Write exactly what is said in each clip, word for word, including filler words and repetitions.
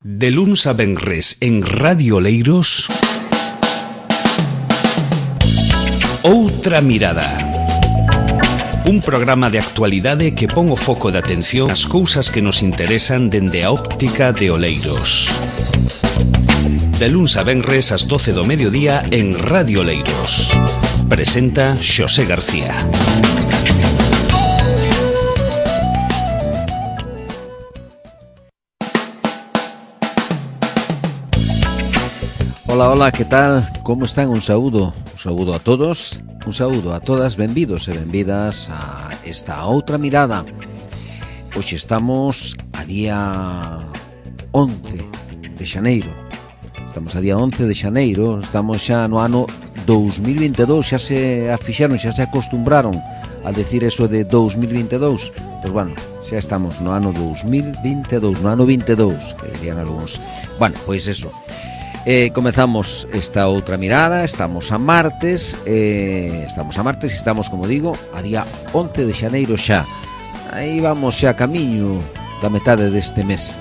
De luns a venres en Radio Oleiros, Outra Mirada. Un programa de actualidade que pon o foco de atención ás cousas que nos interesan dende a óptica de Oleiros. De luns a venres ás doce do mediodía en Radio Oleiros. Presenta Xosé García. Hola, hola, que tal? Como están? Un saúdo, un saúdo a todos, un saúdo a todas, benvidos e benvidas a esta outra mirada. Hoxe estamos a día once de xaneiro. Estamos a día once de xaneiro, estamos xa no ano dous mil vinte e dous, xa se afixaron, xa se acostumbraron a decir eso de dous mil vinte e dous. Pois bueno, xa estamos no ano dous mil vinte e dous, no ano vinte e dous, que dirían algúns. Bueno, pois eso. Eh, comezamos esta outra mirada, estamos a martes, eh, estamos a martes e estamos, como digo, a día once de xaneiro xa. Aí vamos xa camiño da metade deste mes.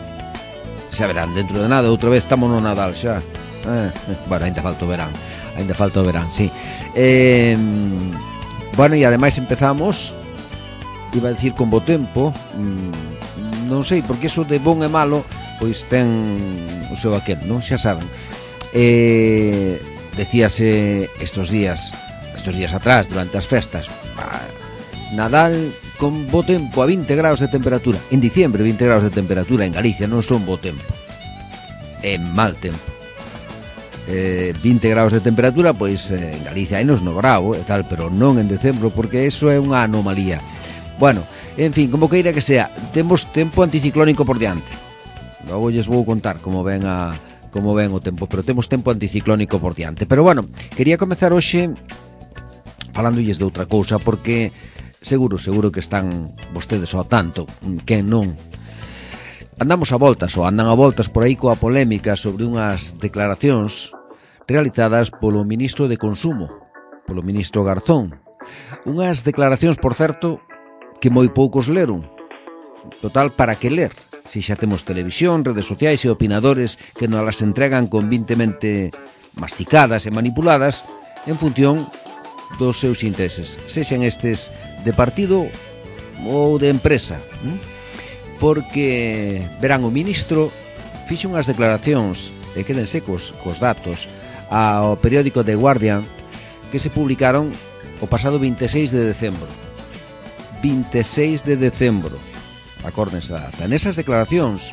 Xa verán, dentro de nada, outra vez estamos no Nadal xa. Eh, bueno, ainda falta o verán, ainda falta o verán, sí. Eh, bueno, e ademais empezamos, iba a decir con bo tempo, mm, non sei, porque iso de bon e malo, pois ten o seu aquel, non? Xa saben. Eh, decíase estos días, estos días atrás, durante as festas, bah, Nadal con bo tempo a vinte graus de temperatura. En diciembre vinte graus de temperatura en Galicia non son bo tempo, é mal tempo. eh, vinte graus de temperatura, pois eh, en Galicia hai nos no grau e tal, pero non en decembro, porque eso é unha anomalía. Bueno, en fin, como queira que sea, temos tempo anticiclónico por diante. Logo lles vou contar como ven a como ven o tempo, pero temos tempo anticiclónico por diante. Pero bueno, quería comezar hoxe falándolles de outra cousa, porque seguro, seguro que están vostedes ao tanto, que non. Andamos a voltas, ou andan a voltas por aí coa polémica sobre unhas declaracións realizadas polo ministro de Consumo, polo ministro Garzón. Unhas declaracións, por certo, que moi poucos leron. Total, para que ler? Si xa temos televisión, redes sociais e opinadores que nos las entregan convintemente masticadas e manipuladas en función dos seus intereses, sexan estes de partido ou de empresa. Porque, verán, o ministro fixo unhas declaracións, e quédense cos, cos datos, ao periódico The Guardian, que se publicaron o pasado vinte e seis de decembro. vinte e seis de decembro. Acórdense da data. Nesas declaracións,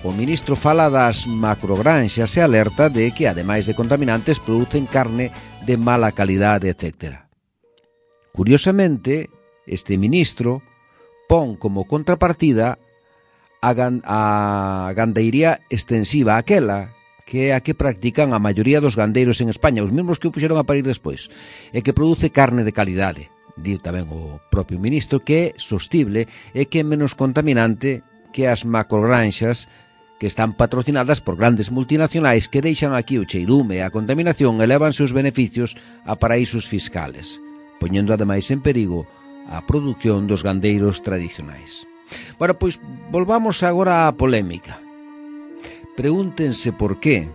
o ministro fala das macrogranxas e alerta de que, ademais de contaminantes, producen carne de mala calidade, etcétera. Curiosamente, este ministro pon como contrapartida a, gan a gandeiría extensiva, aquela que é a que practican a maioría dos gandeiros en España, os mesmos que o puxeron a parir despois, e que produce carne de calidade. Diu tamén o propio ministro que é sostible e que é menos contaminante que as macrogranxas que están patrocinadas por grandes multinacionais que deixan aquí o cheirume e a contaminación e levan seus beneficios a paraísos fiscales, poñendo ademais en perigo a produción dos gandeiros tradicionais. Bueno, pois volvamos agora á polémica. Pregúntense por qué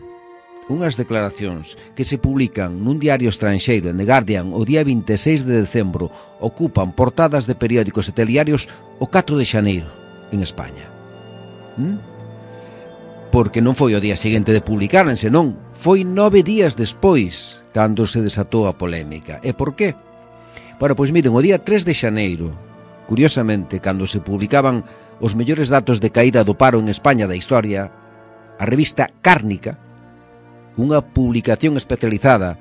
unhas declaracións que se publican nun diario estranxeiro, en The Guardian, o día vinte e seis de decembro, ocupan portadas de periódicos e telediarios o catro de xaneiro en España. ¿Mm? Porque non foi o día seguinte de publicaren, senón foi nove días despois cando se desatou a polémica. E por qué? Bueno, pois miren, o día tres de xaneiro, curiosamente, cando se publicaban os mellores datos de caída do paro en España da historia, a revista Cárnica, unha publicación especializada,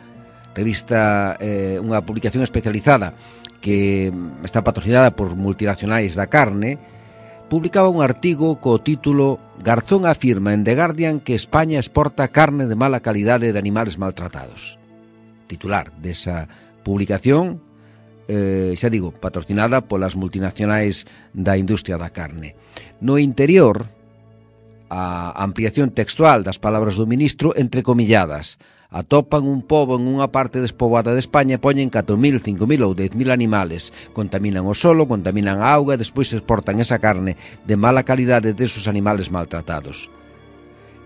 revista, eh, unha publicación especializada que está patrocinada por multinacionais da carne, publicaba un artigo co título Garzón afirma en The Guardian que España exporta carne de mala calidade de animales maltratados. Titular desa publicación, eh, xa digo, patrocinada polas multinacionais da industria da carne. No interior, a ampliación textual das palabras do ministro entrecomilladas. Atopan un pobo en unha parte despoboada de España e poñen catro mil, cinco mil ou dez mil animales. Contaminan o solo, contaminan a auga e despois exportan esa carne de mala calidade desos animales maltratados.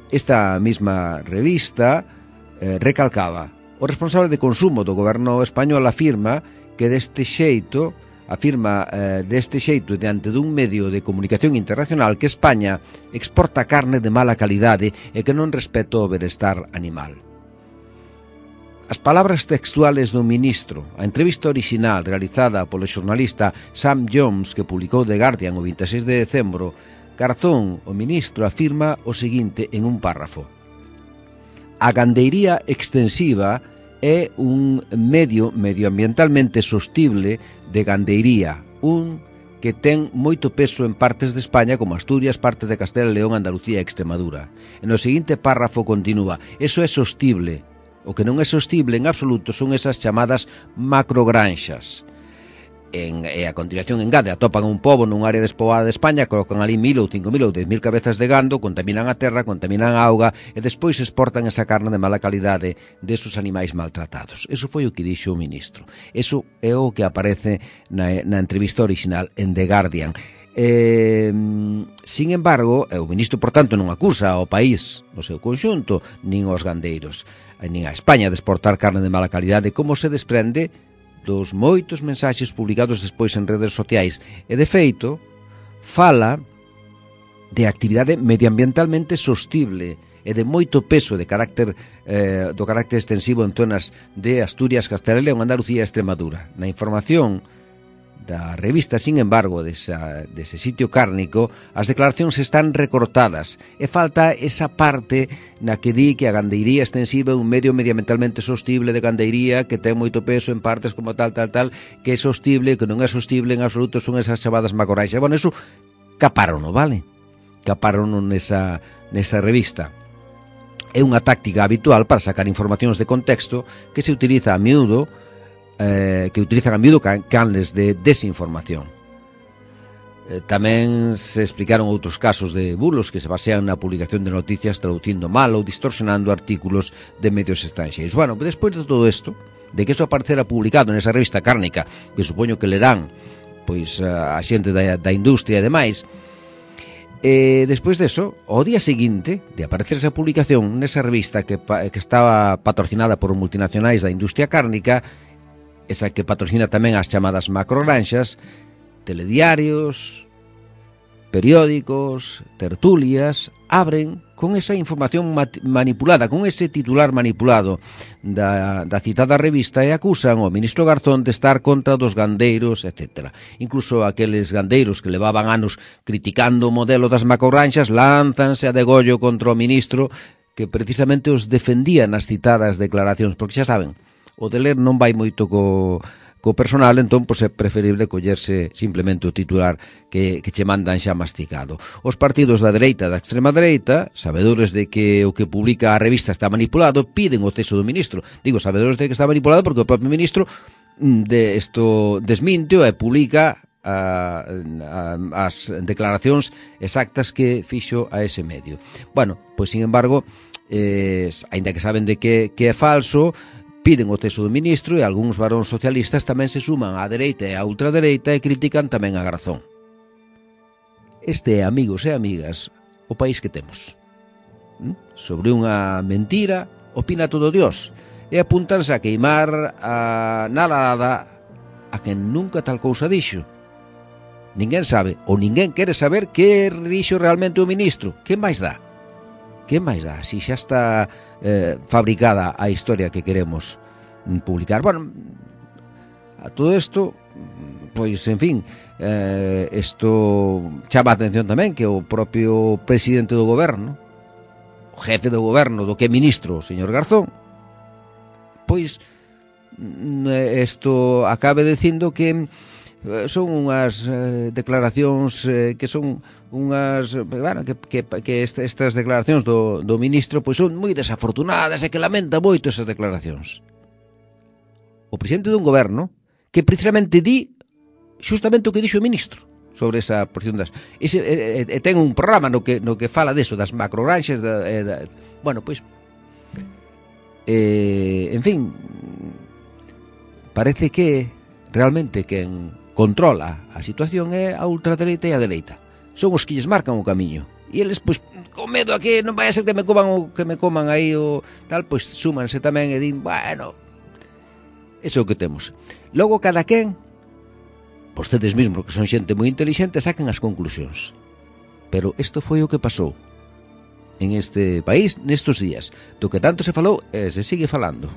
Esta mesma revista eh, recalcaba: o responsable de consumo do goberno español afirma que deste xeito afirma eh, deste xeito diante dun medio de comunicación internacional que España exporta carne de mala calidade e que non respeta o benestar animal. As palabras textuales do ministro, a entrevista orixinal realizada polo xornalista Sam Jones que publicou The Guardian o vinte e seis de decembro, Garzón, o ministro, afirma o seguinte en un párrafo: a gandeiría extensiva é un medio medioambientalmente sostible de gandeiría, un que ten moito peso en partes de España como Asturias, parte de Castela e León, Andalucía e Extremadura. E no seguinte párrafo continúa: eso é sostible. O que non é sostible en absoluto son esas chamadas macrogranxas. En, e a continuación engade, atopan un pobo nun área despoboada de España, colocan ali mil ou cinco mil ou dez mil cabezas de gando, contaminan a terra, contaminan a auga e despois exportan esa carne de mala calidade desos animais maltratados. Eso foi o que dixo o ministro. Eso é o que aparece na, na entrevista original en The Guardian. Eh, sin embargo, o ministro, por tanto, non acusa ao país no seu conxunto, nin aos gandeiros, nin a España de exportar carne de mala calidade, como se desprende dos moitos mensaxes publicados despois en redes sociais. E, de feito, fala de actividade medioambientalmente sostible e de moito peso de carácter, eh, do carácter extensivo en zonas de Asturias, Castela e León, Andalucía e Extremadura. Na información da revista, sin embargo, desa, dese sitio cárnico, as declaracións están recortadas e falta esa parte na que di que a gandeiría extensiva é un medio medioambientalmente sostible de gandeiría que ten moito peso en partes como tal, tal, tal, que é sostible, que non é sostible en absoluto, son esas chamadas macrogranxas. Bueno, eso caparono, vale? Caparono nesa, nesa revista. É unha táctica habitual para sacar informacións de contexto que se utiliza a miúdo Eh, que utilizan a miúdo canles de desinformación. Eh, tamén se explicaron outros casos de bulos que se basean na publicación de noticias traducindo mal ou distorsionando artículos de medios estranxeiros. Bueno, despois de todo isto, de que eso aparecera publicado nesa revista cárnica, que supoño que lerán pois a xente da, da industria e demais, e despois deso, ao día seguinte de aparecer esa publicación nesa revista que, que estaba patrocinada por multinacionais da industria cárnica, esa que patrocina tamén as chamadas macrogranxas, telediarios, periódicos, tertulias, abren con esa información manipulada, con ese titular manipulado da, da citada revista e acusan ao ministro Garzón de estar contra dos gandeiros, etcétera. Incluso aqueles gandeiros que levaban anos criticando o modelo das macrogranxas lánzanse a degollo contra o ministro que precisamente os defendía nas citadas declaracións, porque xa saben, o de ler non vai moito co, co personal, entón pois é preferible collerse simplemente o titular que, que che mandan xa masticado. Os partidos da dereita e da extrema dereita, sabedores de que o que publica a revista está manipulado, piden o ceso do ministro. Digo, sabedores de que está manipulado porque o propio ministro de isto desminte e publica a, a, as declaracións exactas que fixo a ese medio. Bueno, pois sin embargo, eh, aínda que saben de que, que é falso, piden o ceso do ministro e algúns varóns socialistas tamén se suman á dereita e á ultradereita e critican tamén a Garzón. Este é, amigos e amigas, o país que temos. ¿Mm? Sobre unha mentira opina todo Dios e apúntanse a queimar a nalada a quen nunca tal cousa dixo. Ninguén sabe, ou ninguén quere saber que dixo realmente o ministro. Que máis dá? Que máis dá? Si xa está eh, fabricada a historia que queremos publicar. Bueno, a todo isto, pois, en fin, eh, isto chama a atención tamén que o propio presidente do goberno, o jefe do goberno, do que é ministro, o señor Garzón, pois, isto acabe dicindo que son unhas eh, declaracións eh, que son unhas, bueno, que, que, que estas declaracións do, do ministro pois son moi desafortunadas e que lamenta moito esas declaracións. O presidente dun goberno que precisamente di justamente o que dixo o ministro sobre esa porción das... Ese, e, e, ten un programa no que, no que fala deso, das macrogranxas, da, e, da, bueno, pois... Eh, en fin, parece que realmente quen controla a situación é a ultradereita e a dereita. Son os que lles marcan o camiño. e eles, pois, con medo a que non vai a ser que me coman o que me coman aí o tal, pois súmanse tamén e din, bueno, eso é o que temos. Logo cada quen, vostedes mesmos que son xente moi inteligente, saquen as conclusións. Pero isto foi o que pasou en este país nestos días, do que tanto se falou e se sigue falando.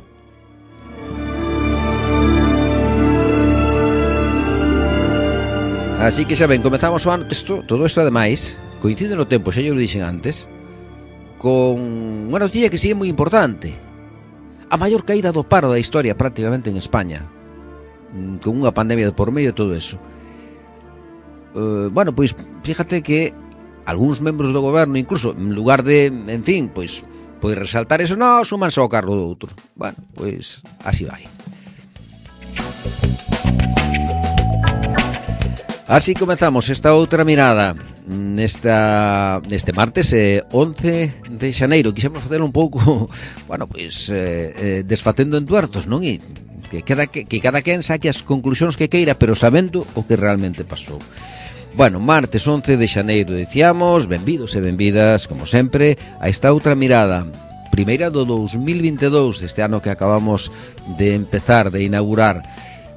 Así que xa ben, comezamos o ano texto, todo isto ademais coincide no tempo, xa yo lo dixen antes, con unha noticia que sigue moi importante, a maior caída do paro da historia prácticamente en España, con unha pandemia de por medio e todo eso. Uh, bueno, pois fíjate que algúns membros do goberno, incluso en lugar de, en fin, pois pois resaltar eso, non, súmanse ao cargo do outro. Bueno, pois así vai. Así comezamos esta outra mirada nesta neste martes eh, once de xaneiro. Quixemos facer un pouco, bueno, pois eh, eh, desfatendo en tuertos, non? E que cada que, que cada quen saque as conclusións que queira, pero sabendo o que realmente pasou. Bueno, martes once de xaneiro, dicíamos, benvidos e benvidas, como sempre, a esta outra mirada, primeira do dous mil vinte e dous, deste ano que acabamos de empezar, de inaugurar.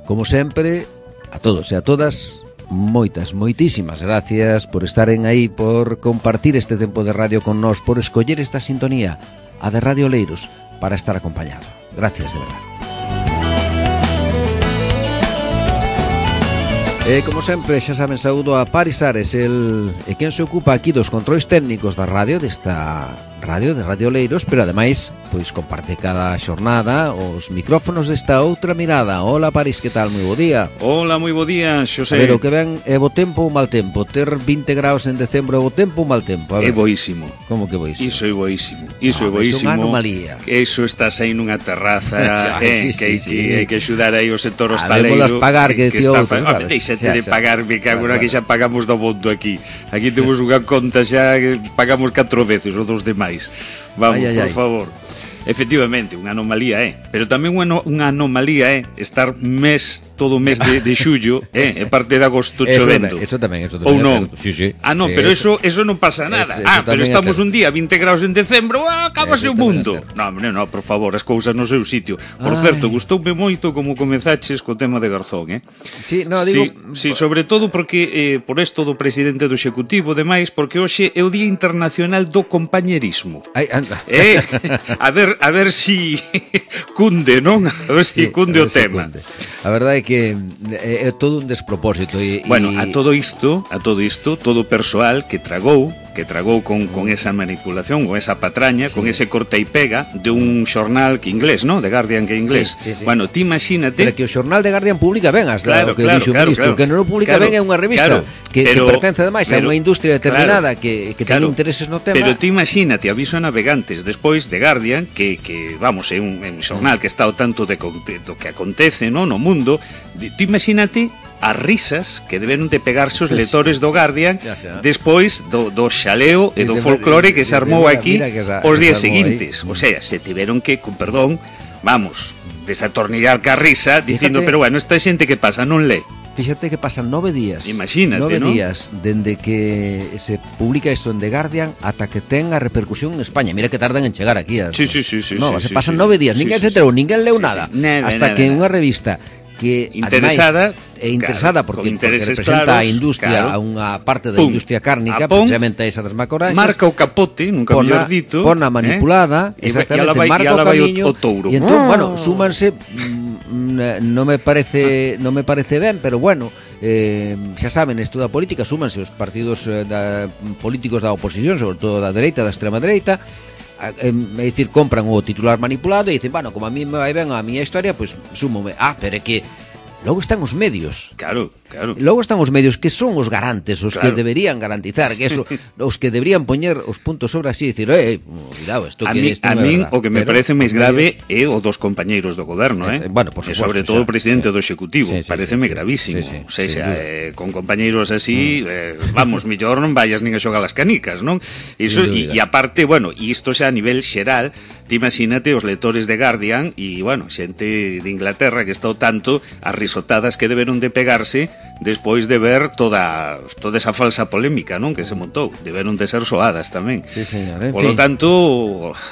Como sempre, a todos e a todas, moitas, moitísimas gracias por estaren aí, por compartir este tempo de radio con nós, por escoller esta sintonía, a de Radio Oleiros, para estar acompañado. Gracias, de verdade. E, como sempre, xa saben, saúdo a Paris Ares, el, e quen se ocupa aquí dos controis técnicos da radio, desta radio, de Radio Oleiros, pero ademais, pois comparte cada xornada os micrófonos desta outra mirada. Hola, Paris, que tal? Moi bo día. Hola, moi bo día, Xosé. A ver, o que ven é bo tempo ou mal tempo? Ter vinte graus en decembro é bo tempo ou mal tempo? É boísimo. Como que boísimo? Iso é boísimo. Iso ah, é boísimo. É unha anomalía. Iso estás aí nunha terraza, eh, sí, que hai sí, sí. que axudar aí o sector hostaleiro. Habémolas pagar, que, que decía outro, sabes? Deixate de pagar, me cago na que xa pagamos do bondo aquí. Aquí temos unha conta xa que pagamos catro veces os dos demais. Vamos, ay, ay, por ay. favor. Efectivamente, unha anomalía é, eh? Pero tamén unha, unha anomalía é eh? estar mes, todo o mes de, de xullo, eh? E parte de agosto chovendo. Eso tamén, eso tamén. Ou non? Sí, sí. Ah, non, sí, pero eso, eso non pasa nada. Eso, ah, pero estamos un día vinte graus en decembro, ah, acabase o mundo. Non, non, no, por favor, as cousas no seu sitio. Por ay. certo, gustoume moito como comenzaches co tema de Garzón, eh? Sí, no, digo... Sí, sí, sobre todo porque, eh, por esto do presidente do Executivo, demais, porque hoxe é o Día Internacional do Compañerismo. Ai, anda. Eh, a ver, a ver si cunde, non? A ver si sí, cunde o tema. Cunde. A verdade é que é, é todo un despropósito e, bueno, e... a todo isto, a todo isto, todo o persoal que tragou, que tragou con, con esa manipulación, con esa patraña, sí. con ese corta e pega de un xornal que inglés, ¿no? De Guardian que inglés. Sí, sí, sí. Bueno, ti imagínate... Pero que o xornal de Guardian publica ben as claro, o que claro, dixo o claro, ministro, claro, que non o publica claro, ben é unha revista claro, que, pero, que pertence ademais a unha industria determinada claro, que, que claro, ten intereses no tema. Pero ti imagínate, aviso a navegantes despois de Guardian, que, que vamos, é un, un xornal que está ao tanto de, de, do que acontece, no, no mundo. Ti imagínate as risas que deberon de pegarse os lectores do Guardian despois do, do xaleo e do folclore que se armou aquí os días seguintes. O sea, se tiveron que, con perdón, vamos, desatornillar ca risa dicindo, fíjate, pero bueno, esta xente que pasa non lee. Fíxate que pasan nove días. Imagínate, nove ¿no? días dende que se publica isto en The Guardian ata que ten a repercusión en España. Mira que tardan en chegar aquí. Sí, sí, sí, sí, no, sí, se pasan sí, nove días, sí, ninguén sí, se enterou, sí, ninguén leu sí, nada, sí, nada, hasta nada, que nada. unha revista que interesada, ademais, é interesada claro, porque, porque representa claros, a industria, claro. a unha parte da Pum, industria cárnica, pon, precisamente esa das macoraxas, marca o capote, nunca mellor dito, pona manipulada, eh? exactamente, vai, marca o camiño, o, o touro. E entón, bueno, súmanse, mm, non me parece non me parece ben, pero bueno, eh, xa saben, isto da política, súmanse os partidos eh, da, políticos da oposición, sobre todo da dereita, da extrema dereita, é dicir, compran o titular manipulado e dicen, bueno, como a mí me vai ben a miña historia, pois pues, súmome. Ah, pero é que logo están os medios. Claro, claro. Logo están os medios que son os garantes, os claro. que deberían garantizar, que eso, os que deberían poñer os puntos sobre así, dicir, eh, cuidado, isto que isto a non é min verdad. O que me pero, parece máis grave medios... é o dos compañeiros do goberno, eh. eh bueno, por suposto, e sobre todo xa, o presidente sí. do Executivo, sí, sí, pareceme sí, gravísimo. sí, sí, O sea, sí, eh, con compañeiros así, mm. eh, vamos, millor non vayas nin a xogar as canicas, non? Iso e, e aparte, bueno, e isto xa a nivel xeral, ti imagínate os lectores de Guardian e, bueno, xente de Inglaterra que está ao tanto as risotadas que deberon de pegarse despois de ver toda toda esa falsa polémica, non, que se montou, deberon de ser soadas tamén. Sí, señor, en Por lo fin. tanto,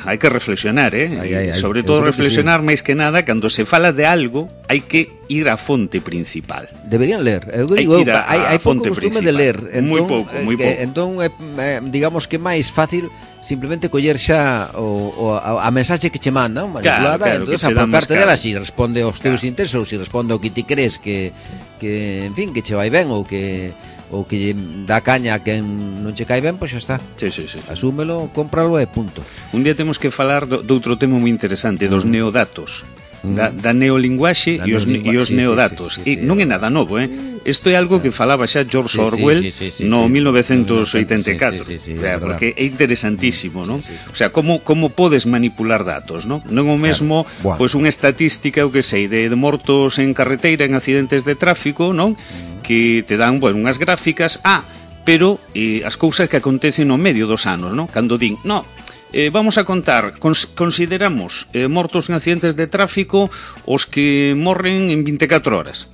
hai que reflexionar, eh? Ai, ai, ai. Sobre Eu todo creo que reflexionar máis que nada cando se fala de algo, hai que ir á fonte principal. Deberían ler. Eu Hai digo, que ir a- hai, hai a pouco fonte costume principal. de ler. Moi pouco, moi eh, pouco. Entón, é, eh, digamos que é máis fácil simplemente coller xa o, o, a, a mensaxe que che mandan manipulada, Claro, claro, entón que che dan aparte máis dela cara. si responde aos teus Claro. intereses ou si responde ao que ti crees que, que en fin, que che vai ben ou que ou que lle dá caña a quen non che cae ben, pois xa está. Sí, sí, sí. Asúmelo, cómpralo e punto. Un día temos que falar do, de outro tema moi interesante, dos Mm. neodatos. Mm. Da, da neolinguaxe Da e os, neolingua- e os sí, sí, neodatos. sí, sí, sí, E sí. non é nada novo, eh? Isto é algo que falaba xa George Sí, sí, Orwell sí, sí, sí, no sí. mil novecientos oitenta e catro. Sí, sí, sí, sí, O sea, é verdad. porque é interesantísimo, non? Sí, sí, sí. O sea, como como podes manipular datos, non? Non é o mesmo, Buah. pois unha estatística, o que sei, de, de mortos en carreteira en accidentes de tráfico, non? Mm. Que te dan, bueno, unhas gráficas, ah, pero eh, as cousas que acontecen no medio dos anos, non? Cando din, no, Eh, vamos a contar, cons consideramos eh, mortos en accidentes de tráfico os que morren en veinticuatro horas.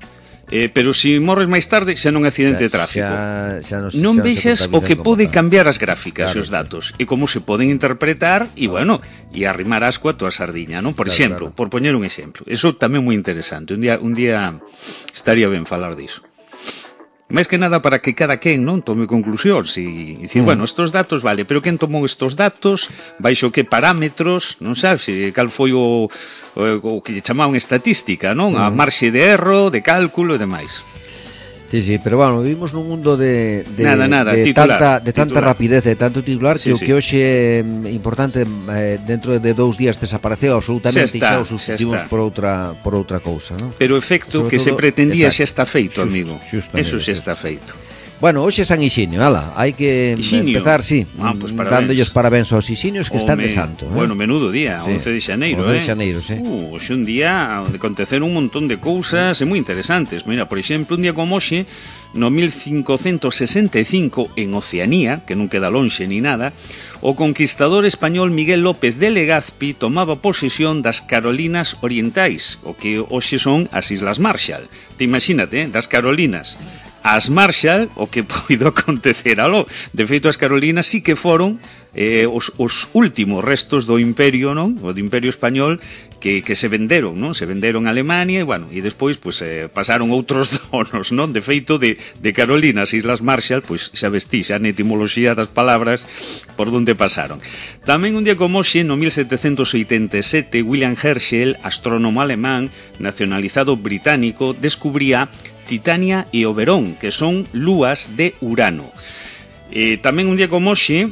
Eh, pero se si morres máis tarde xa non é accidente de tráfico. Xa, xa nos, Non xa vexas se o que contabilizan como pode tal. cambiar as gráficas Claro, e os datos e como se poden interpretar e, bueno, e arrimar asco a tua sardiña, non? Por Claro, exemplo, claro. por poñer un exemplo. Eso tamén moi interesante. Un día un día estaría ben falar diso. Máis que nada para que cada quen non tome conclusións e dicir, Mm. bueno, estos datos vale, pero quen tomou estos datos, baixo que parámetros, non sabes, e cal foi o, o, o que lle chamaban estatística, non? A marxe de erro, de cálculo e demais. Sí, sí, pero bueno, vivimos nun mundo de, de, Nada, nada, de titular, tanta, de tanta titular. rapidez, de tanto titular, Sí, que o sí. que hoxe é importante eh, dentro de dous días desapareceu absolutamente Xa está, e xa o substituimos xa está. por outra por outra cousa, non? Pero o efecto Sobre que se todo, pretendía exacto, xa está feito, xusto, amigo. xustamente, Eso xa sí. está feito. Bueno, hoxe é San Ixinio, ala, hai que Ixinio. empezar, sí, Ah, pues parabéns. dándolles parabéns aos Ixinios que están Home, de santo. eh? Bueno, menudo día, Sí. once de xaneiro, once de eh? xaneiro, sí. Uh, hoxe un día onde aconteceron un montón de cousas e moi interesantes. Mira, por exemplo, un día como hoxe, no mil cincocentos sesenta e cinco, en Oceanía, que non queda lonxe ni nada, o conquistador español Miguel López de Legazpi tomaba posesión das Carolinas Orientais, o que hoxe son as Islas Marshall. Te imagínate, eh? Das Carolinas as Marshall, o que poido acontecer aló. De feito, as Carolinas sí que foron eh, os, os últimos restos do imperio, non? O do imperio español que, que se venderon, non? Se venderon a Alemania e, bueno, e despois pues, eh, pasaron outros donos, non? De feito, de, de Carolinas, Islas Marshall, pois xa vestí, xa na etimoloxía das palabras por onde pasaron. Tamén un día como hoxe, no mil setecentos oitenta e sete, William Herschel, astrónomo alemán, nacionalizado británico, descubría Titania e Oberón, que son lúas de Urano. Eh, tamén un día como hoxe,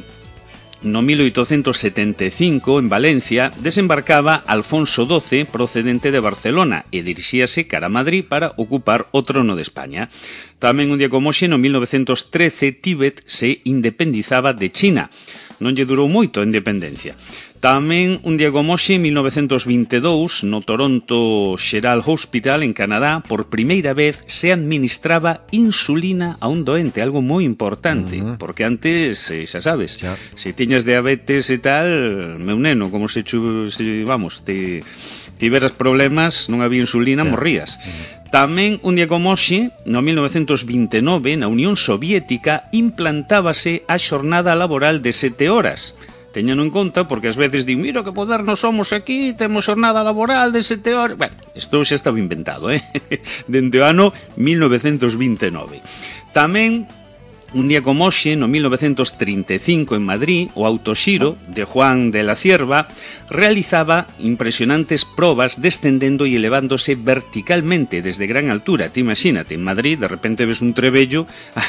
no mil oitocentos setenta e cinco, en Valencia, desembarcaba Alfonso doce procedente de Barcelona e dirixíase cara a Madrid para ocupar o trono de España. Tamén un día como hoxe, no mil novecentos trece, Tíbet se independizaba de China. Non lle durou moito a independencia. Tamén un día como hoxe, en mil novecentos vinte e dous, no Toronto Xeral Hospital, en Canadá, por primeira vez se administraba insulina a un doente, algo moi importante, uh -huh. porque antes, eh, xa sabes, Xa. se tiñas diabetes e tal, meu neno, como se, chu, se vamos, te tiveras problemas, non había insulina, Xa. morrías. Uh -huh. Tamén, un día como hoxe, no mil novecentos vinte e nove, na Unión Soviética, implantábase a xornada laboral de sete horas. Teñano en conta porque ás veces din, mira que modernos somos aquí, temos xornada laboral de sete horas. Bueno, isto xa estaba inventado, eh? Dende o ano mil novecentos vinte e nove. Tamén, un día como hoxe, no mil novecentos trinta e cinco, en Madrid, o autoxiro de Juan de la Cierva realizaba impresionantes probas descendendo e elevándose verticalmente desde gran altura. Te imagínate, en Madrid, de repente ves un trebello,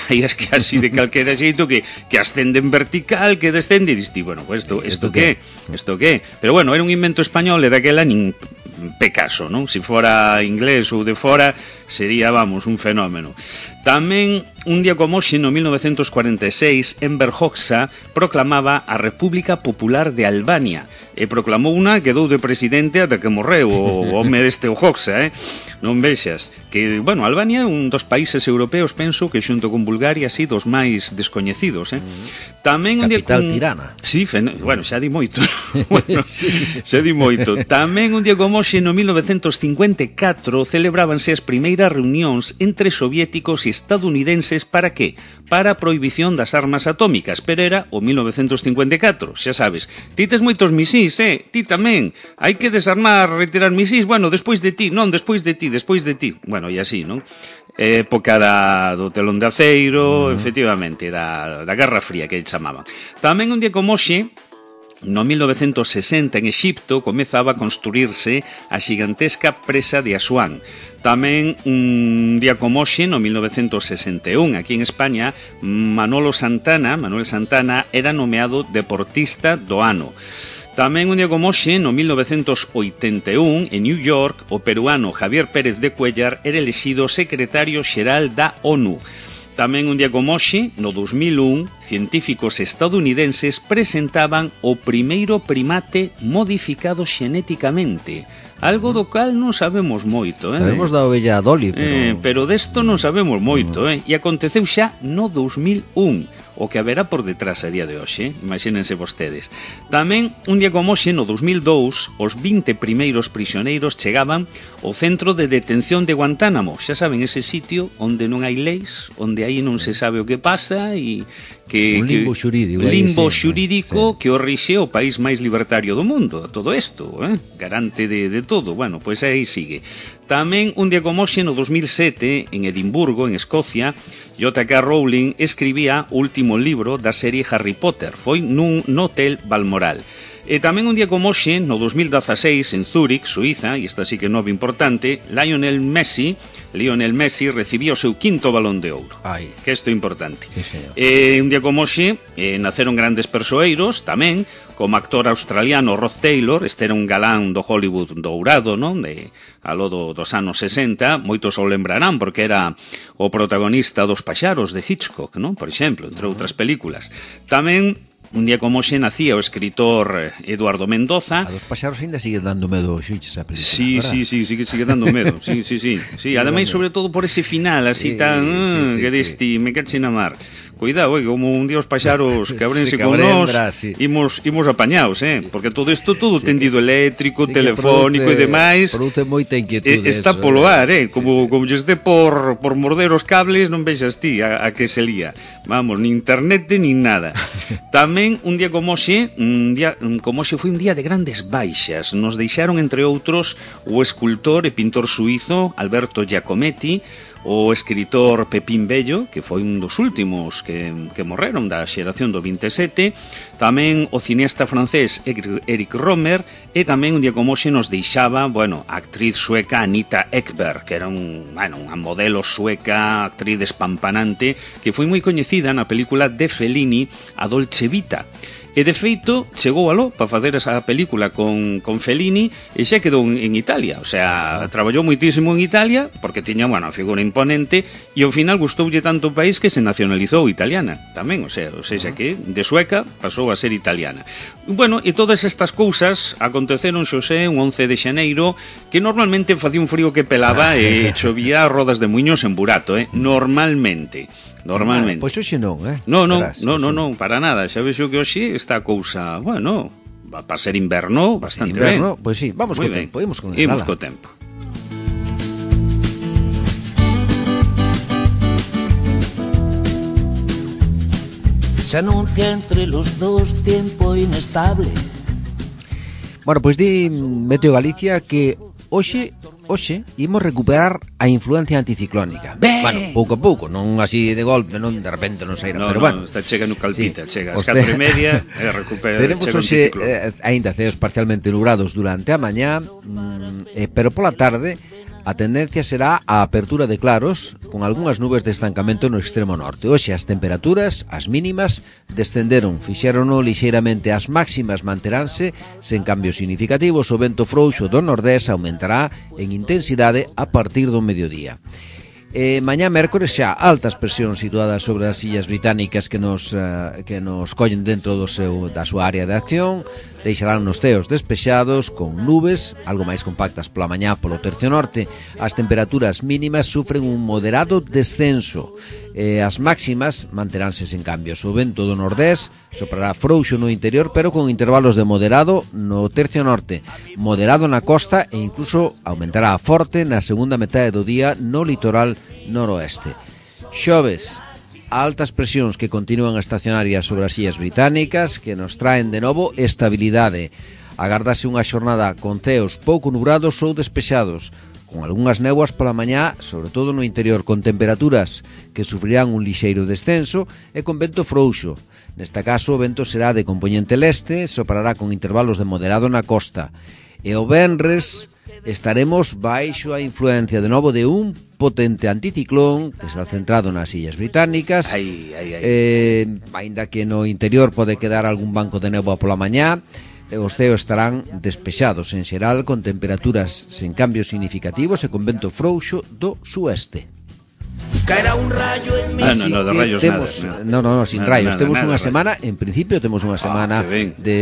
aí es que así de calquera xeito que, que ascende en vertical, que descende, e diste, bueno, pues esto, esto que, esto que. Pero bueno, era un invento español e daquela nin Pecaso, non? Se fora inglés ou de fora, sería, vamos, un fenómeno. Tamén, un día como hoxe, no mil novecientos cuarenta e seis, Enver Hoxha proclamaba a República Popular de Albania e proclamou unha que dou de presidente ata que morreu o home deste o Hoxha, eh? Non vexas que, bueno, Albania é un dos países europeos, penso, que xunto con Bulgaria, así, dos máis descoñecidos, eh? Tamén un día Capital con... tirana. Sí, fen... bueno, xa di moito. Bueno, sí. Xa di moito. Tamén un día como hoxe, no mil novecientos cincuenta e catro, celebrábanse as primeiras reunións entre soviéticos e estadounidenses para que? Para a prohibición das armas atómicas, pero era o mil novecientos cincuenta e catro, xa sabes. Ti tes moitos misís, eh? Ti tamén. Hai que desarmar, retirar misís, bueno, despois de ti, non, despois de ti, despois de ti. Bueno, e así, non? Época da, do telón de aceiro, uh-huh. efectivamente, da, da Guerra Fría, que chamaban. Tamén un día como hoxe, no mil novecientos sesenta, en Exipto, comezaba a construirse a xigantesca presa de Asuán. Tamén un día como hoxe, no mil novecientos sesenta e un, aquí en España, Manolo Santana, Manuel Santana, era nomeado deportista do ano. Tamén un día como hoxe, no mil novecientos oitenta e un, en New York, o peruano Javier Pérez de Cuellar era elexido secretario xeral da ONU. Tamén un día como hoxe, no dos mil un, científicos estadounidenses presentaban o primeiro primate modificado xenéticamente. Algo do cal non sabemos moito, eh? Sabemos da ovella Dolly, pero... Eh, pero desto non sabemos moito, eh? E aconteceu xa no dos mil un. O que haberá por detrás a día de hoxe, imagínense vostedes. Tamén, un día como hoxe, no dos mil dous, os vinte primeiros prisioneiros chegaban ao centro de detención de Guantánamo. Xa saben, ese sitio onde non hai leis, onde aí non se sabe o que pasa e que... Un limbo xurídico. Limbo sí, xurídico sí. Que o rixe o país máis libertario do mundo. Todo isto, eh? Garante de, de todo. Bueno, pois aí sigue. Tamén, un día como hoxe, no dos mil sete, en Edimburgo, en Escocia, J K Rowling escribía o último libro da serie Harry Potter. Foi nun no Hotel Balmoral. E tamén un día como hoxe, no dos mil dezaseis, en Zúrich, Suiza, e esta sí que é nova importante, Lionel Messi, Lionel Messi recibía o seu quinto balón de ouro. Ai. Que isto é importante. Sí, e un día como hoxe, eh, naceron grandes persoeiros, tamén, como actor australiano Rod Taylor. Este era un galán do Hollywood dourado, non? De, aló do, dos anos sesenta, moitos o lembrarán porque era o protagonista dos Paxaros de Hitchcock, non? Por exemplo, entre outras películas. Tamén, un día como hoxe, nacía o escritor Eduardo Mendoza. A dos Paxaros ainda sigue dando medo xuiches a película. Sí, ¿verdad? sí, sí, sigue, sigue dando medo. Sí, sí, sí. Sí, ademais, sobre todo por ese final así sí, tan sí, sí, que deste, sí. Me cache na mar. Cuidado, eh, como un día os paxaros que abrense sí, con nós, sí. imos, imos apañados, eh? Porque todo isto, todo sí, tendido eléctrico, sí, telefónico produce, e demais. Produce moita inquietude. Eh, está eso, polo ar, eh? Sí, Como, sí. como lles dé por, por morder os cables, non vexas ti a, a que se lía. Vamos, ni internet, ni nada. Tamén, un día como hoxe, un día como hoxe foi un día de grandes baixas. Nos deixaron, entre outros, o escultor e pintor suizo Alberto Giacometti, o escritor Pepín Bello, que foi un dos últimos que, que morreron da xeración do vinte e sete, tamén o cineasta francés Eric Romer, e tamén un día como hoxe nos deixaba, bueno, a actriz sueca Anita Ekberg, que era un, bueno, unha modelo sueca, actriz despampanante, que foi moi coñecida na película de Fellini, A Dolce Vita. E de feito, chegou aló para facer esa película con, con Fellini e xa quedou en, en Italia. O sea, ah. traballou moitísimo en Italia porque tiña, bueno, a figura imponente e ao final gustoulle tanto o país que se nacionalizou italiana tamén. O sea, o sea, que de sueca pasou a ser italiana. Bueno, e todas estas cousas aconteceron, xosé, un once de xaneiro, que normalmente facía un frío que pelaba e chovía rodas de muiños en burato, eh? Normalmente. Normalmente. Pois hoxe non, eh? No, no, no, no, no, para nada. Xa vexo que hoxe está a cousa, bueno, para ser inverno, bastante inverno, ben. Pois sí, vamos co tempo, imos con el. Imos co tempo. Se anuncia entre los dos tiempo inestable. Bueno, pois di Meteo Galicia que hoxe Hoxe imos recuperar a influencia anticiclónica. Ben. Bueno, pouco a pouco, non así de golpe, non de repente non sairá, no, pero no, bueno. Está chega no calpita, sí. Chega ás Usted... catro e media e recupera. Tenemos hoxe eh, aínda ceos parcialmente nubrados durante a mañá, mm, eh, pero pola tarde a tendencia será a apertura de claros con algunhas nubes de estancamento no extremo norte. Hoxe as temperaturas, as mínimas, descenderon, fixérono lixeiramente, as máximas manteránse sen cambios significativos. O vento frouxo do nordés aumentará en intensidade a partir do mediodía. E mañá mércores xa altas presións situadas sobre as illas británicas que nos uh, que nos collen dentro do seu da súa área de acción, deixarán nos ceos despexados con nubes algo máis compactas pola mañá polo tercio norte. As temperaturas mínimas sufren un moderado descenso e as máximas manteránse sen cambios. O vento do nordés soprará frouxo no interior, pero con intervalos de moderado no tercio norte, moderado na costa e incluso aumentará forte na segunda metade do día no litoral noroeste. Xoves, altas presións que continúan estacionarias sobre as illas británicas que nos traen de novo estabilidade. Agardase unha xornada con ceos pouco nubrados ou despexados, con algunhas néboas pola mañá, sobre todo no interior, con temperaturas que sufrirán un lixeiro descenso e con vento frouxo. Neste caso, o vento será de compoñente leste, soprará con intervalos de moderado na costa. E o venres estaremos baixo a influencia de novo de un potente anticiclón que está centrado nas illas británicas. Ai, ai, ai. Eh, ainda que no interior pode quedar algún banco de néboa pola mañá, os ceos estarán despexados en xeral con temperaturas sen cambios significativos e con vento frouxo do sueste. Caerá un rayo en mi... Ah, no, no, de rayos temos, nada, nada. No, no, no, sin Nada, rayos. nada, Temos nada, unha rayos. semana, en principio temos unha semana que ben. de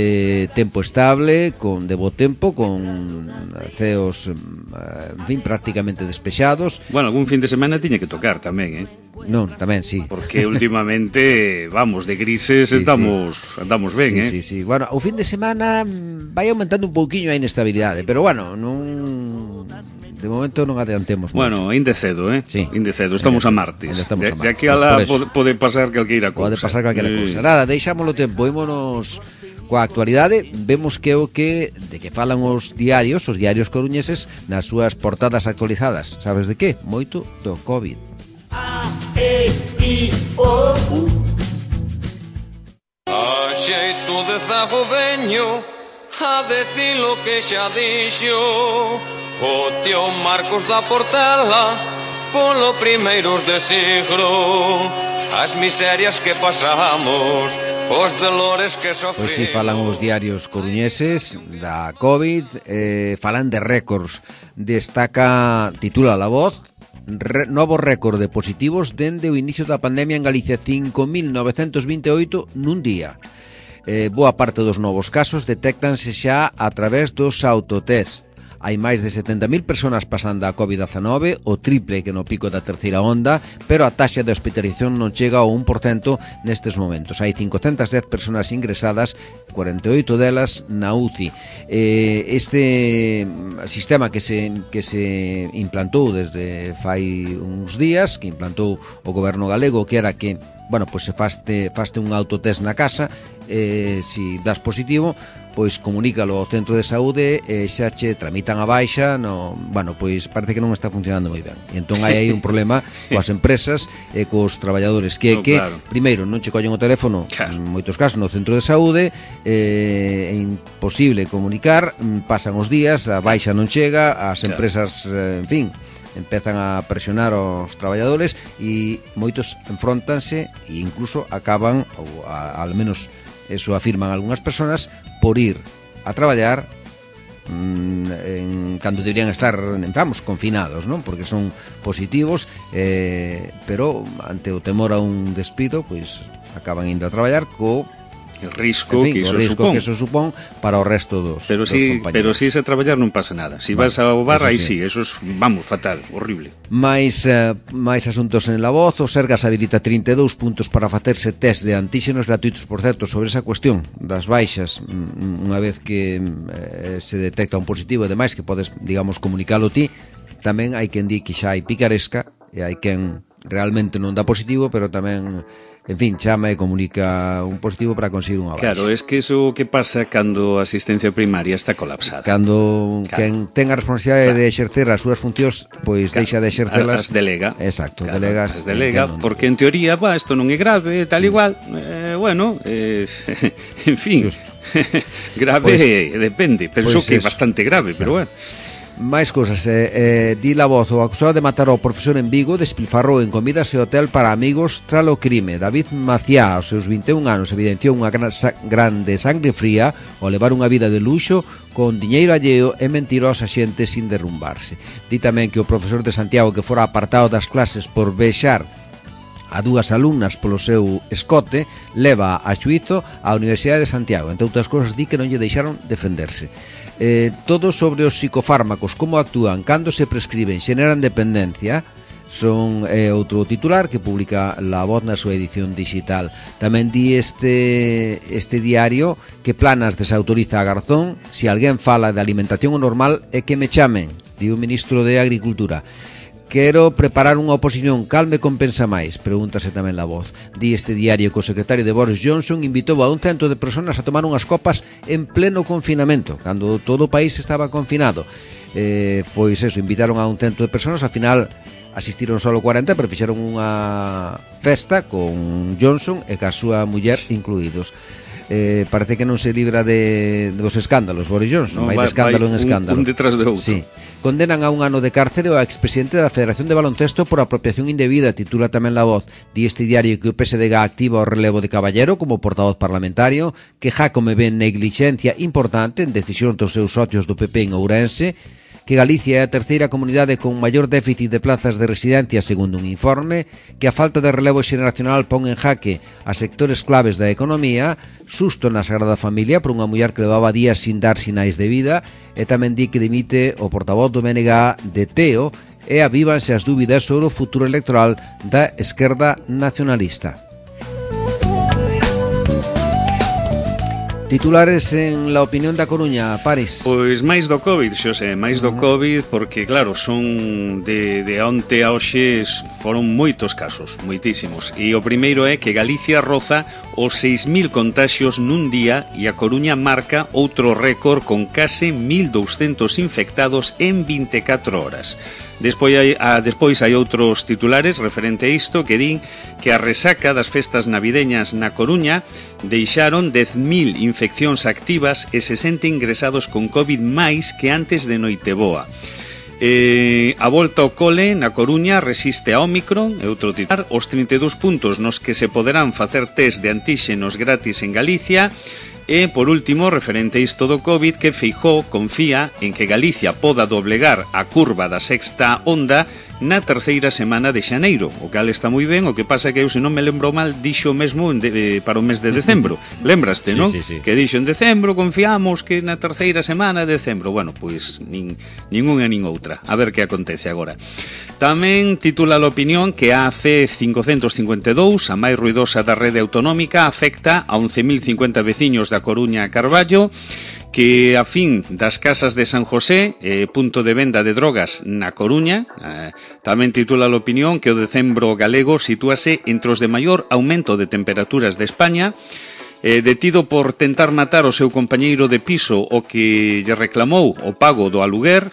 tempo estable, con de bo tempo, con ceos, en fin, prácticamente despexados. Bueno, algún fin de semana tiña que tocar tamén, eh? Non, tamén, sí. Porque últimamente, vamos, de grises Sí, estamos sí. andamos ben, sí, eh? Sí, sí, bueno, o fin de semana mm, vai aumentando un pouquiño a inestabilidade, pero bueno, non... De momento non adiantemos. Bueno, inde cedo, eh? Sí. Inde cedo, estamos a martes. Ainda estamos de, a martes. de aquí a la Por eso. pode, pode pasar calqueira cousa. Pode pasar calquera Eh, cousa. Nada, deixámoslo tempo, ímonos coa actualidade, vemos que o que de que falan os diarios, os diarios coruñeses nas súas portadas actualizadas. Sabes de que? Moito do COVID. A, E, I, O, U. A xeito de zago veño a decir lo que xa dixo o tío Marcos da Portela polo primeiros de siglo. As miserias que pasamos, os dolores que sofrimos. Pois si falan os diarios coruñeses da COVID, eh, falan de récords. Destaca, titula La Voz, Re, novo récord de positivos dende o inicio da pandemia en Galicia, cinco mil novecentos vinte e oito nun día. Eh, boa parte dos novos casos detéctanse xa a través dos autotest. Hai máis de setenta mil persoas pasando a covid dezanove, o triple que no pico da terceira onda, pero a taxa de hospitalización non chega ao un por cento nestes momentos. Hai cincocentas dez persoas ingresadas, cuarenta e oito delas na U C I. Eh, este sistema que se, que se implantou desde fai uns días, que implantou o goberno galego, que era que, bueno, pois se faste, faste un autotest na casa, eh, si das positivo, pois comunícalo ao centro de saúde e xa che tramitan a baixa, no, bueno, pois parece que non está funcionando moi ben. E entón hai aí un problema coas empresas e cos traballadores que, No, que claro. primeiro, non che collen o teléfono, Claro. en moitos casos no centro de saúde, eh, é imposible comunicar, pasan os días, a baixa non chega, as Claro. empresas, eh, en fin, empezan a presionar aos traballadores e moitos enfrontanse e incluso acaban, ou a, al menos eso afirman algunhas persoas, por ir a traballar mmm, en, cando deberían estar, vamos, confinados, non? Porque son positivos, eh, pero ante o temor a un despido, pois acaban indo a traballar co El risco en fin, que o iso risco supón. que eso supón para o resto dos, Pero dos si, compañeros. pero si se traballar non pasa nada. Si Vale, vas ao bar, eso aí sí. sí, eso es, vamos, fatal, horrible. Mais, eh, máis asuntos en La Voz. O Sergas habilita trinta e dous puntos para facerse test de antíxenos gratuitos, por certo, sobre esa cuestión das baixas, mm, unha vez que eh, se detecta un positivo e demais, que podes, digamos, comunicalo ti. Tamén hai quen di que xa hai picaresca e hai quen realmente non dá positivo, pero tamén, en fin, chama e comunica un positivo para conseguir unha baixa. Claro, es que eso que pasa cando a asistencia primaria está colapsada. Cando Claro. quen ten a responsabilidade Claro. de exercer as súas funcións, pois Claro. deixa de exercelas. As delega. Exacto, Claro, delegas. as delega, entendo. porque en teoría, va, isto non é grave, tal igual. Eh, bueno, eh, en fin. Justo. grave Pois- eh, depende, penso pois que é eso. bastante grave, pero bueno. Máis cousas, eh, eh, di La Voz, o acusado de matar ao profesor en Vigo despilfarrou en comidas e hotel para amigos tras o crime. David Maciá, aos seus vinte e un anos, evidenciou unha gran, sa, grande sangre fría ao levar unha vida de luxo con diñeiro alleo e mentir aos axentes sin derrumbarse. Di tamén que o profesor de Santiago, que fora apartado das clases por vexar a dúas alumnas polo seu escote, leva a xuízo á Universidade de Santiago. Entre outras cousas, di que non lle deixaron defenderse. Eh, todo sobre os psicofármacos, como actúan, cando se prescriben, xeneran dependencia, son eh, outro titular que publica La Voz na súa edición digital. Tamén di este, este diario que Planas desautoriza a Garzón: si alguén fala de alimentación normal é que me chamen, di o ministro de Agricultura. Quero preparar unha oposición, cal me compensa máis? Pregúntase tamén La Voz. Di este diario que o secretario de Boris Johnson invitou a un cento de personas a tomar unhas copas en pleno confinamento, cando todo o país estaba confinado. Eh, pois eso, invitaron a un cento de personas, ao final asistiron só cuarenta, pero fixeron unha festa con Johnson e ca súa muller incluídos. Eh, parece que non se libra de dos escándalos Boris Johnson, no, vai de escándalo vai, en escándalo, un, un detrás de outro. Sí. Condenan a un ano de cárcere ao expresidente da Federación de Baloncesto por apropiación indebida, titula tamén La Voz. Di este diario que o P S D G activa o relevo de Caballero como portavoz parlamentario, que Jácome ven neglixencia importante en decisión dos seus socios do P P en Ourense, que Galicia é a terceira comunidade con maior déficit de plazas de residencia segundo un informe, que a falta de relevo xeneracional pon en jaque a sectores claves da economía, susto na Sagrada Familia por unha muller que levaba días sin dar sinais de vida, e tamén di que dimite o portavoz do B N G de Teo e avívanse as dúbidas sobre o futuro electoral da esquerda nacionalista. Titulares en La Opinión da Coruña, Paris. Pois máis do COVID, Xosé, máis do COVID, porque claro, son de, de onte a hoxe foron moitos casos, moitísimos. E o primeiro é que Galicia roza os seis mil contaxios nun día e a Coruña marca outro récord con case mil douscentos infectados en vinte e catro horas. Despois hai, a, despois hai outros titulares referente a isto que din que a resaca das festas navideñas na Coruña deixaron dez mil infeccións activas e sesenta ingresados con COVID máis que antes de Noiteboa. Eh, a volta ao cole na Coruña resiste a Ómicron, e outro titular, os trinta e dous puntos nos que se poderán facer test de antíxenos gratis en Galicia. E, por último, referente a isto do COVID, que Feijóo confía en que Galicia poda doblegar a curva da sexta onda na terceira semana de xaneiro, o cal está moi ben. O que pasa que eu, se non me lembro mal, dixo mesmo de, para o mes de decembro. Lembraste, sí, non? Sí, sí. Que dixo en decembro, confiamos que na terceira semana de decembro. Bueno, pois nin, nin unha nin outra. A ver que acontece agora. Tamén titula a opinión que a C cincocentos cincuenta e dous, a máis ruidosa da rede autonómica, afecta a once mil cincuenta veciños da Coruña a Carballo, que a fin das casas de San José, eh, punto de venda de drogas na Coruña. Eh, tamén titula a opinión que o decembro galego sitúase entre os de maior aumento de temperaturas de España. Eh, detido por tentar matar o seu compañeiro de piso o que lle reclamou o pago do aluguer.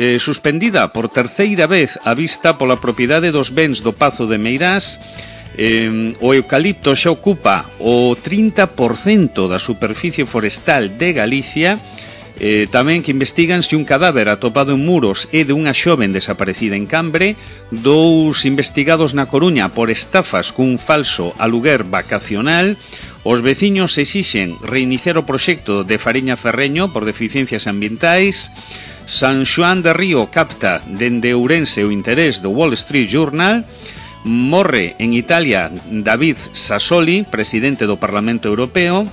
Eh, suspendida por terceira vez a vista pola propiedade dos bens do Pazo de Meirás. Eh, o eucalipto xa ocupa o trinta por cento da superficie forestal de Galicia. Eh, tamén que investigan se un cadáver atopado en Muros é de unha xoven desaparecida en Cambre. Dous investigados na Coruña por estafas cun falso aluguer vacacional. Os veciños exixen reiniciar o proxecto de Fariña Ferreño por deficiencias ambientais. San Xoán de Río capta dende Ourense o interés do Wall Street Journal. Morre en Italia David Sassoli, presidente do Parlamento Europeo.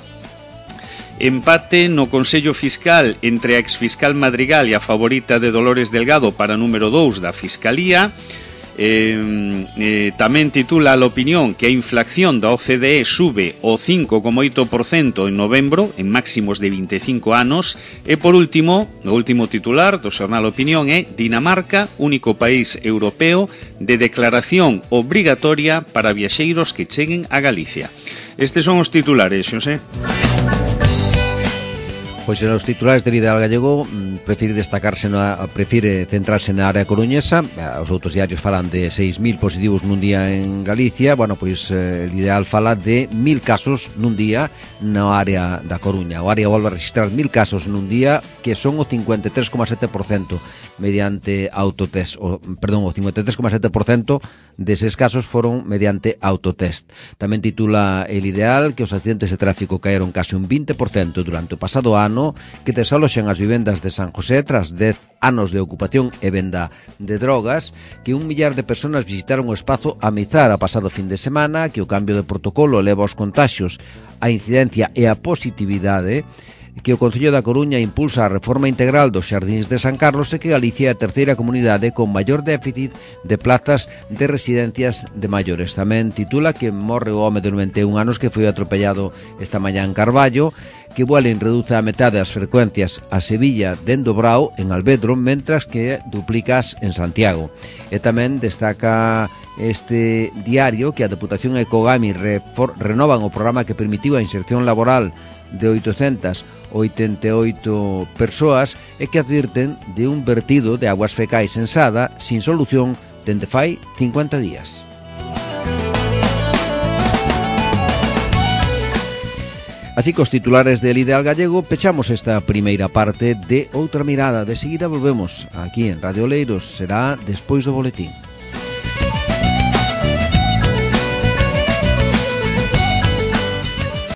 Empate no Consello Fiscal entre a exfiscal Madrigal e a favorita de Dolores Delgado para número dous da Fiscalía. Eh, eh, tamén titula a opinión que a inflación da O C D E sube o cinco coma oito por cento en novembro, en máximos de vinte e cinco anos. E por último, o último titular do xornal Opinión é Dinamarca, único país europeo de declaración obrigatoria para viaxeiros que cheguen a Galicia. Estes son os titulares, Xosé. Pois en os titulares del Ideal Gallego prefire destacarse na, prefire centrarse na área coruñesa. Os outros diarios falan de seis mil positivos nun día en Galicia. Bueno, pois el Ideal fala de mil casos nun día na área da Coruña. O área volve a registrar mil casos nun día, que son o cincuenta e tres coma sete por cento mediante autotest, o, perdón, o cincuenta e tres coma sete por cento deses casos foron mediante autotest. Tamén titula el Ideal que os accidentes de tráfico caeron case un vinte por cento durante o pasado ano, que desaloxan as vivendas de San José tras dez anos de ocupación e venda de drogas, que un millar de persoas visitaron o espazo Amizar a pasado fin de semana, que o cambio de protocolo leva aos contaxios, a incidencia e a positividade, que o Concello da Coruña impulsa a reforma integral dos xardíns de San Carlos e que Galicia é a terceira comunidade con maior déficit de plazas de residencias de maiores. Tamén titula que morre o home de noventa e un anos que foi atropellado esta mañá en Carballo, que Vueling reduce a metade as frecuencias a Sevilla dende o Brao en Alvedro, mentras que duplicas en Santiago. E tamén destaca este diario que a Deputación e Cogami renovan o programa que permitiu a inserción laboral de oitocentas oitenta e oito persoas e que advirten de un vertido de aguas fecais en Sada sin solución dende fai cincuenta días. Así que os titulares del Ideal Gallego pechamos esta primeira parte de Outra Mirada. De seguida volvemos aquí en Radio Oleiros, será despois do boletín.